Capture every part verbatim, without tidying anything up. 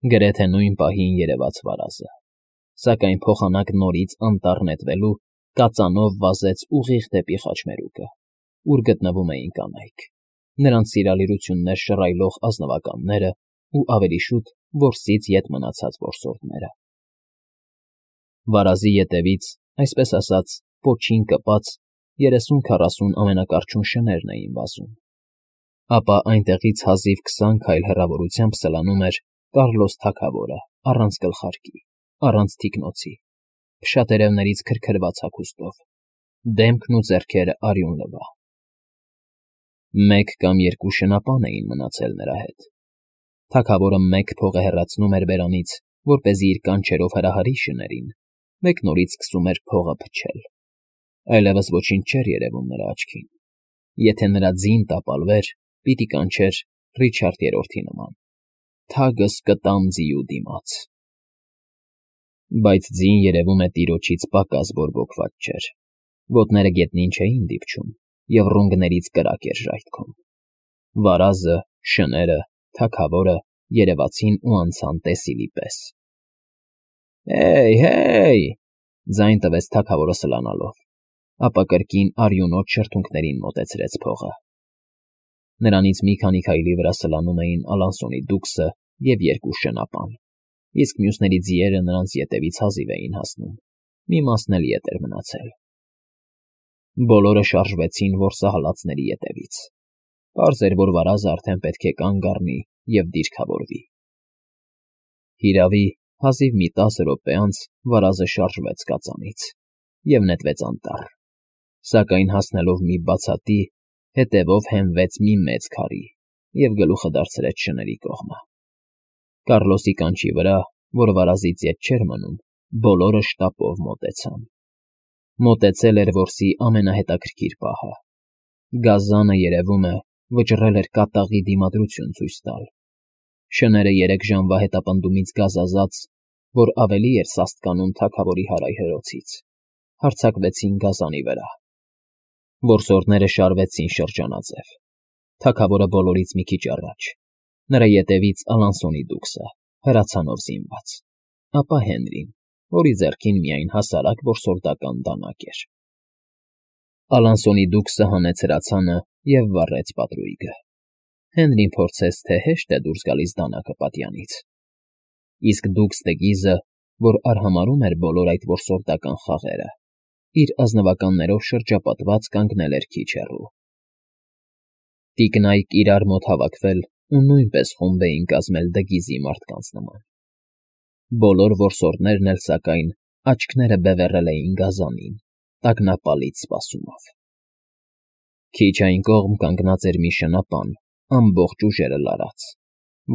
Գրեթե նույն պահին երևաց վարազը, սակայն փոխանակ նորից անտառ նետվելու կածանով վազեց ուղիղ դեպի խաչմերուկը, ուր գտնվում էին կանայք, նրանց սիրալիրություններ շռայլող ազնվականները ու ավելի շուտ որսից ետ մնացած որսորդները։ Վարազի ետևից, այսպես ասած, պոչին կպած երեսուն֊քառասուն ամենակարճուն շներն էին վազում, ապա այնտեղից հազիվ քսան քայլ հեռավորությամբ սլանում էր Կառլոս թագավորը առանց գլխարկի, առանց թիկնոցի, փշատերևներից քրքրված հագուստով, դեմքն ու ձեռքերը արյունլվա։ Մեկ կամ երկու շնապան էին մնացել նրա հետ։ Թագավորը մեկ փող է հեռացնում էր բերանից, որպեսզի իր կանչերով հրահարի շներին, մեկ նորից սկսում էր փողը փչել։ Այլևս ոչինչ չէր երևում նրա աչքին։ Եթե նրա ձին տապալվեր, պիտի կանչեր Ռիչարդ Երրորդի նման. «Թագս կտամ ձիու դիմաց»։ Բայց ձին, երևում է, տիրոջից պակաս բորբոքված չէր, ոտները գետնին չէին դիպչում, և ռունգներից կրակ էր ժայթքում։ Վարազը, շները, թագավորը երևացին ու անցան տեսիլի պես։ «Հե՜յ, հե՜յ», ձայն տվեց թագավորը սլանալով, ապա կրկին արյունոտ շրթունքներին մոտեցրեց փողը։ Նրանից մի քանի քայլի վրա սլանում էին Ալանսոնի դուքսը և երկու շնապան, իսկ մյուսների ձիերը նրանց ետևից հազիվ էին հասնում, մի մասն էլ ետ էր մնացել։ Բոլորը շարժվեցին որսահալածների ետևից։ Պարզ էր, որ վարազը արդեն պետք է կանգ առնի և դիրքավորվի։ Հիրավի, հազիվ մի տասը րոպե անց վարազը շարժվեց կածանից և նետվեց անտառ, սակայն հասնելով մի բացատի, հետևով հենվեց մի մեծ քարի և գլուխը դարձրեց շների կողմը։ Կառլոսի կանչի վրա, որ վարազից ետ չէր մնում, բոլորը շտապով մոտեցան։ Մոտեցել էր որսի ամենահետաքրքիր պահը։ Գազանը, երևում է, վճռել էր կատաղի դիմադրություն ցույց տալ։ Շները երեք ժամվա հետապնդումից գազազած, որ ավելի էր սաստկանում թագավորի հարայհրոցից, հարձակվեցին գազանի վրա։ Որսորդները շարվեցին շրջանաձև, թագավորը բոլորից մի քիչ առաջ, նրա ետևից Ալանսոնի դուքսը, հրացանով զինված, ապա Հենրին, որի ձեռքին միայն հասարակ որսորդական դանակ էր։ Ալանսոնի դուքսը հանեց հրացանը և վառեց պատրույգը։ Հենրին փորձեց, թե հեշտ է դուրս գալիս դանակը պատյանից, իսկ դուքս Տգիզը, որ արհամարհում էր բոլոր այդ որսորդական խաղերը, իր ազնվականներով շրջապատված կանգնել էր քիչ հեռու։ Տիկնայք իրար մոտ հավաքվել ու նույնպես խումբ էին կազմել Դգիզի մարդկանց նման։ Բոլոր որսորդներն էլ, սակայն, աչքները բևեռել էին գազանին, տագնապալից սպասումով։ Քիչ այն կողմ կանգնած էր մի շնապան, ամբողջ ուժերը լարած,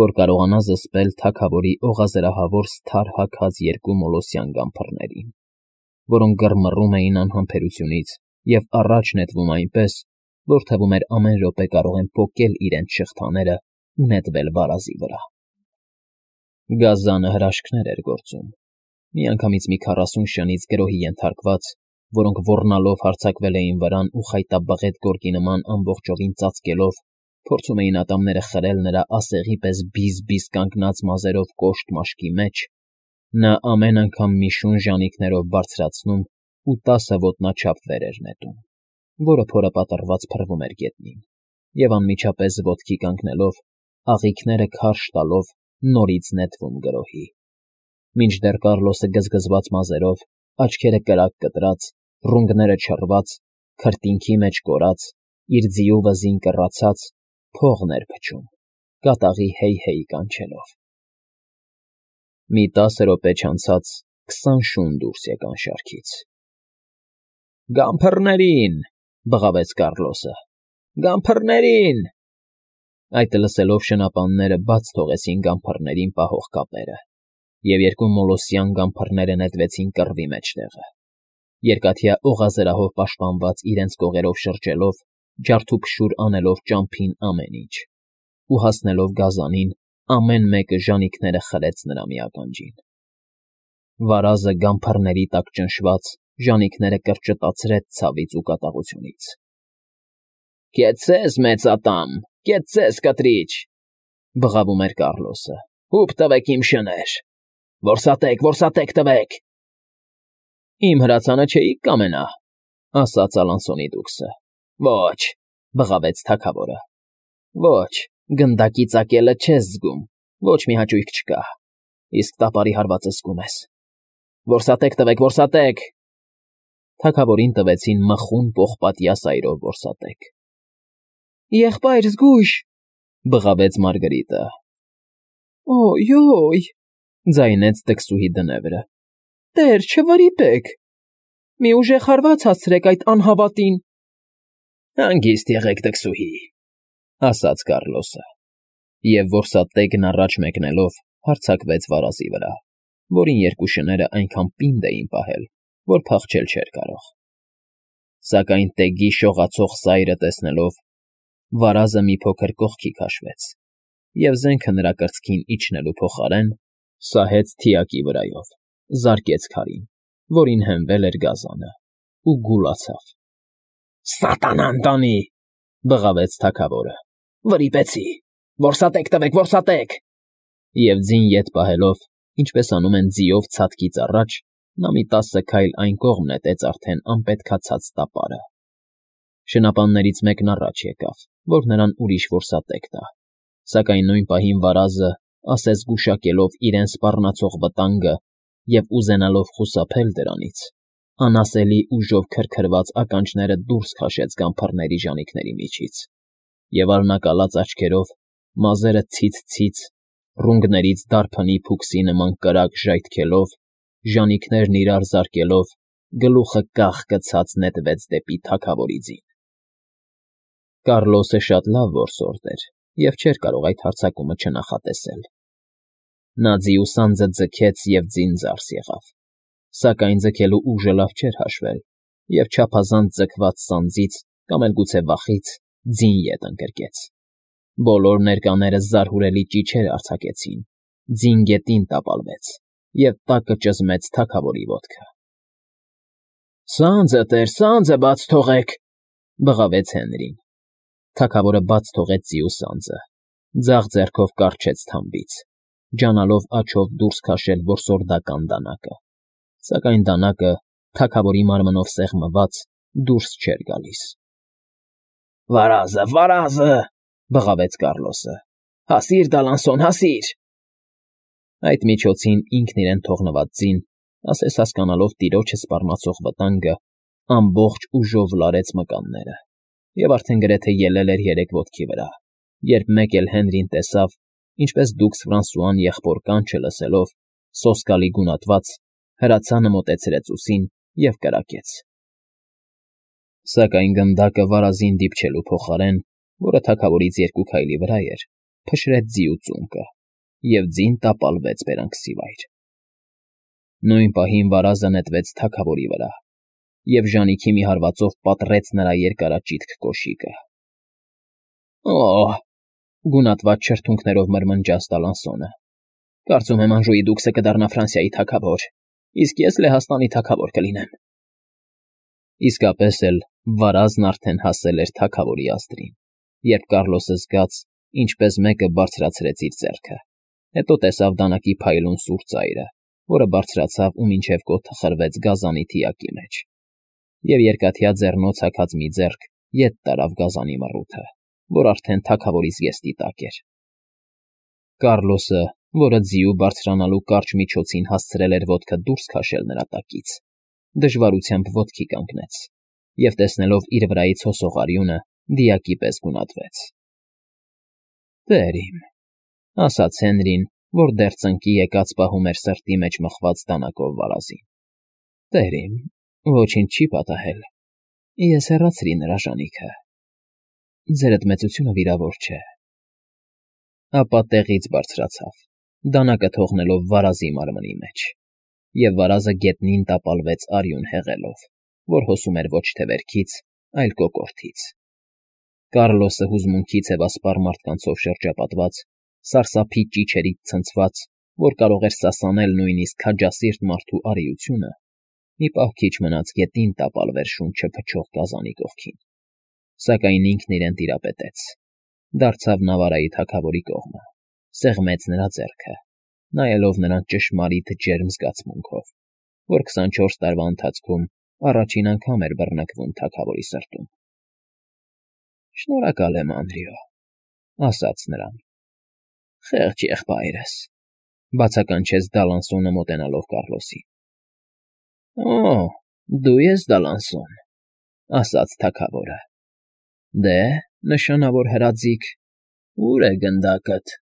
որ կարողանա զսպել թագավորի օղազրահավոր սթար հագած երկու մոլոսյան գամփռներին, որոնք գռմռում էին անհամբերությունից և առաջ նետվում այնպես, որ թվում էր ամեն րոպե կարող են պոկել իրենց շղթաները ու նետվել վարազի վրա։ Գազանը հրաշքներ էր գործում։ Միանգամից մի քառասուն շնից գրոհի ենթարկված, որոնք ոռնալով հարձակվել էին վրան ու խայտաբղետ գորգի նման ամբողջովին ծածկելով, փորձում էին ատամները խրել նրա ասեղի պես բիզ֊բիզ կանգնած մազերով կոշտ մաշկի մեջ, նա ամեն անգամ մի շուն ժանիքներով բարձրացնում ու տասը ոտնաչափ վեր էր նետում, որը փորը պատռված փռվում էր գետնին, և անմիջապես ոտքի կանգնելով, աղիքները քարշ տալով նորից նետվում գրոհի, մինչդեռ Կառլոսը գզգզված մազերով, աչքերը կրակ կտրած, ռունգները չռված, քրտինքի մեջ կորած, իր ձիու վզին կռացած, փողն էր փչում, կատաղի հեյ֊հեյ կանչելով։ Մի տասը րոպե չանցած քսան շուն դուրս եկան շարքից։ «Գամփռներին», բղավեց Կառլոսը, «գամփռներին»։ Այդ լսելով շնապանները բաց թողեցին գամփռներին պահող կապերը, և երկու մոլոսյան գամփռները նետվեցին կռվի մեջտեղը, երկաթյա օղազրահով պաշտպանված իրենց կողերով շրջելով, ջարդուփշուր անելով ճամփին ամեն ինչ, ու հասնելով գազանին, ամեն մեկը ժանիքները խրեց նրա մի ականջին։ Վարազը գամփռների տակ ճնշված, ժանիքները կրճտացրեց ցավից ու կատաղությունից։ «Կեցցե՛ս, մեծատամ, կեցցե՛ս, կտրիչ», բղավում էր Կառլոսը, Հուպ տվեք իմ շներ, որսատեք, որսատեք տվեք։ Իմ հրացանը չէիք կամենա, ասաց Ալանսոնի դուքսը։ Ոչ, բղավեց թագավորը։ Ոչ, գնդակի ծակելը չես զգում, ոչ մի հաճույք չկա, իսկ տապարի հարվածը զգում ես։ Որսատեք տվեք, որսատեք։ Թագավորին տվեցին մխուն պողպատյա սայրով որսատեք։ Եղբայր զգույշ, բղավեց Մարգարիտը։ Օյ, ձայնեց տքսուհի դնևրը։ Տեր, չվրիպեք։ Մի ուժեղ հարված հասցրեք այդ անհավատին։ Հանգիստ եղեք, տքսուհի, ասաց Կառլոսը, և որսատեքն առաջ մեկնելով հարձակվեց վարազի վրա, որին երկու շները այնքան պինդ էին պահել, որ փախչել չէր կարող։ Սակայն տեգի շողացող սայրը տեսնելով, վարազը մի փոքր կողքի քաշվեց, և զենքը նրա կրծքին իջնելու փոխարեն սահեց թիակի վրայով, զարկեց քարին, որին հենվել էր գազանը, ու գուլացավ։ Սատանան տանի, բղավեց թագավորը։ Վրիպեցի, որսատեք տվեք, որսատեք։ Եվ ձին ետ պահելով, ինչպես անում են ձիով ցատկից առաջ, նա մի տասը քայլ այն կողմ նետեց արդեն անպետքացած տապարը։ Շնապաններից մեկն առաջ եկավ, որ նրան ուրիշ որսատեք տա, սակայն նույն պահին վարազը, ասես գուշակելով իրեն սպառնացող վտանգը և ուզենալով խուսափել դրանից, անասելի ուժով քրքրված ականջները դուրս քաշեց գամբարների ժանիքների միջից, և արնակալած աչքերով, մազերը ցից֊ցից, ռունգներից դարբնի փուքսի նման կրակ ժայթքելով, ժանիքներն իրար զարկելով, գլուխը կախ գցած նետվեց դեպի թագավորի ձին։ Կառլոսը շատ լավ որսորդ էր և չէր կարող այդ հարձակումը չնախատեսել։ Նա ձիու սանձը ձգեց և ձին ձարս եղավ, սակայն ձգելու ուժը լավ չէր հաշվել, և չափազանց ձգված սանձից, կամ էլ գուցե վախից, ձին ետ ընկրկեց։ Բոլոր ներկաները զարհուրելի ճիչեր արձակեցին, ձին գետին տապալվեց, և տակը ճզմեց թագավորի ոտքը։ Սանձը, տեր, սանձը բաց թողեք, բղավեց Հենրին։ Թագավորը բաց թողեց ձիու սանձը, ձախ ձեռքով կառչեց թամբից, ջանալով աջով դուրս քաշել որսորդական դանակը, սակայն դանակը, թագավորի մարմնով սեղմված, դուրս չէր գալիս։ Վարազը, վարազը, բղավեց Կառլոսը։ Հասի՛ր, Դալանսոն, հասի՛ր։ Այդ միջոցին ինքն իրեն թողնված ձին, ասես հասկանալով տիրոջը սպառնացող վտանգը, ամբողջ ուժով լարեց մկանները, և արդեն գրեթե ելել էր երեք ոտքի վրա, երբ մեկ էլ Հենրին տեսավ, ինչպես դուքս Ֆրանսուան եղբոր կանչը լսելով, սոսկալի գունատված, հրացանը մոտեցրեց ուսին և կրակեց։ Սակայն գնդակը վարազին դիպչելու փոխարեն, որը թագավորից երկու քայլի վրա էր, փշրեց ձիու ծունկը, և ձին տապալվեց բերանքսիվայր։ Նույն պահին վարազը նետվեց թագավորի վրա, և ժանիքի մի հարվածով պատռեց նրա երկարաճիտ կոշիկը։ Օ՜, գունատված շրթունքներով մրմնջաց Դալանսոնը։ Կարծում եմ Անժուի դուքսը կդառնա Ֆրանսիայի թագավոր, իսկ ես Լեհաստանի թագավոր կլինեմ։ Իսկապես էլ վարազն արդեն հասել էր թագավորի ազդրին, երբ Կառլոսը զգաց, ինչպես մեկը բարձրացրեց իր ձեռքը, հետո տեսավ դանակի փայլուն սուր ծայրը, որը բարձրացավ ու մինչև կոթը խրվեց գազանի թիակի մեջ, և երկաթյա ձեռնոց հագած մի ձեռք ետ տարավ գազանի մռութը, որ արդեն թագավորի զգեստի տակ էր։ Կառլոսը, որը ձիու բարձրանալու կարճ միջոցին հասցրել էր ոտքը դուրս քաշել նրա տակից, դժվարությամբ ոտքի կանգնեց և, տեսնելով իր վրայից հոսող արյունը, դիակի պես գունատվեց։ Տեր իմ, ասաց Հենրին, որ դեռ ծնկի եկած պահում էր սրտի մեջ մխված դանակով վարազին։ Տեր իմ, ոչինչ չի պատահել, ես հեռացրի նրա ժանիքը։ Ձերդ մեծությունը վիրավոր չէ։ Ապա տեղից բարձրացավ, դանակը թողնելով վարազի մարմնի մեջ, և վարազը գետնին տապալվեց արյուն հեղելով, որ հոսում էր ոչ թե վերքից, այլ կոկորդից։ Կառլոսը հուզմունքի ցևասպառ մարդկանցով շրջապատված, սարսափի ճիչերից ցնցված, որ կարող էր սասանել նույնիսկ քաջասիրտ մարդու արիությունը, մի պահ քիչ մնաց գետին տապալվեր շունչը փչող գազանի կողքին, սակայն ինքն իրեն տիրապետեց, դարձավ Նավարայի թագավորի կողմը, Սեղմեց նրա ձեռքը, նայելով նրան ճշմարիտ ջերմ զգացմունքով, որ քսանչորս տարվա ընթացքում առաջին անգամ էր բռնկվում թագավորի սրտում։ ֊ Շնորհակալ եմ, Անրիո,֊ ասաց նրան։ ֊ Խեղճ եղբայրս,֊ բացականչեց Դալանսոնը մոտենալով Կառլոսին։ ֊ Օ՜, դու ես Դալանսոն,֊ ասաց թագավորը։ ֊ Դե, նշանավոր հրաձիգ, ո՞ւր է գնդակդ։ ֊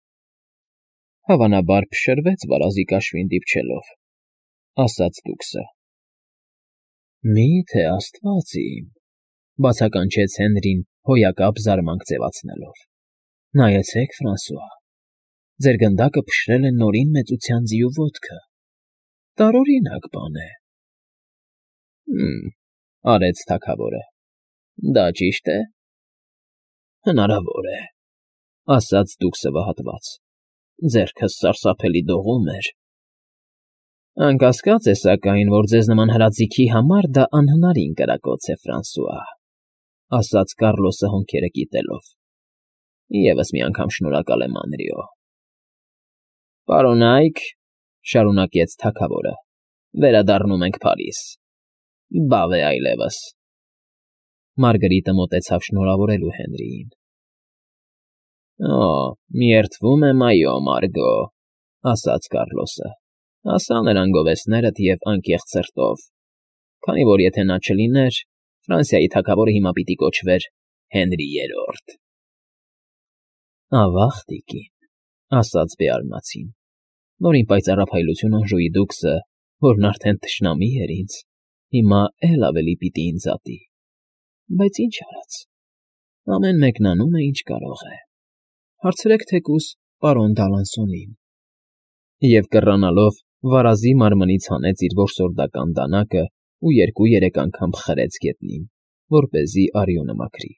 Հավանաբար փշրվեց վարազի կաշվին դիպչելով,֊ ասաց դուքսը։ ֊ Մի՞թե աստված իմ,֊ բացականչեց Հենրին հոյակապ զարմանք ձևացնելով,֊ նայեցեք, Ֆրանսուա, ձեր գնդակը փշրել է Նորին մեծության ձիու ոտքը… Տարօրինակ բան է։ ֊ Հը՛մ,֊ արեց թագավորը,֊ դա ճի՞շտ է։ ֊ Հնարավոր է,֊ ասաց դուքսը վհատված, ձեռքս սարսափելի դողում էր։ ֊ Անկասկած է, սակայն, որ ձեզ նման հրաձիգի համար դա անհնարին կրակոց է, Ֆրանսուա,֊ ասաց Կառլոսը հոնքերը կիտելով։֊ Եվս մի անգամ շնորհակալ եմ, Անրիո։ ֊ Պարոնա՛յք,֊ շարունակեց թագավորը,֊ վերադառնում ենք Փարիզ… Բավ է այլևս… Մարգրիտը մոտեցավ շնորհավորելու Հենրիին։ ֊ Օ, միերդվում եմ, այո, Մարգո,֊ ասաց Կառլոսը։֊ Ասա նրան գովեստներդ և անկեղծ սրտով, քանի որ եթե նա չլիներ, Ֆրանսիայի թագավորը հիմա պիտի կոչվեր Հենրի Երրորդ։ ֊ Ավա՜ղ, տիկին,֊ ասաց Բեարնացին, նորին պայծառափայլություն անժուի դուքսը, որն արդեն թշնամի էր ինձ, հիմա էլ ավելի պիտի ինձ ատի, բայց ինչ արած, ամեն մեկն անում է, ինչ կարող է… Հարցրեք թեկուզ պարոն Դալանսոնին… Եվ կռանալով վարազի մարմնից հանեց իր որսորդական դանակն ու երկու֊երեք անգամ խրեց գետնին, որպեսզի արյունը մաքրի։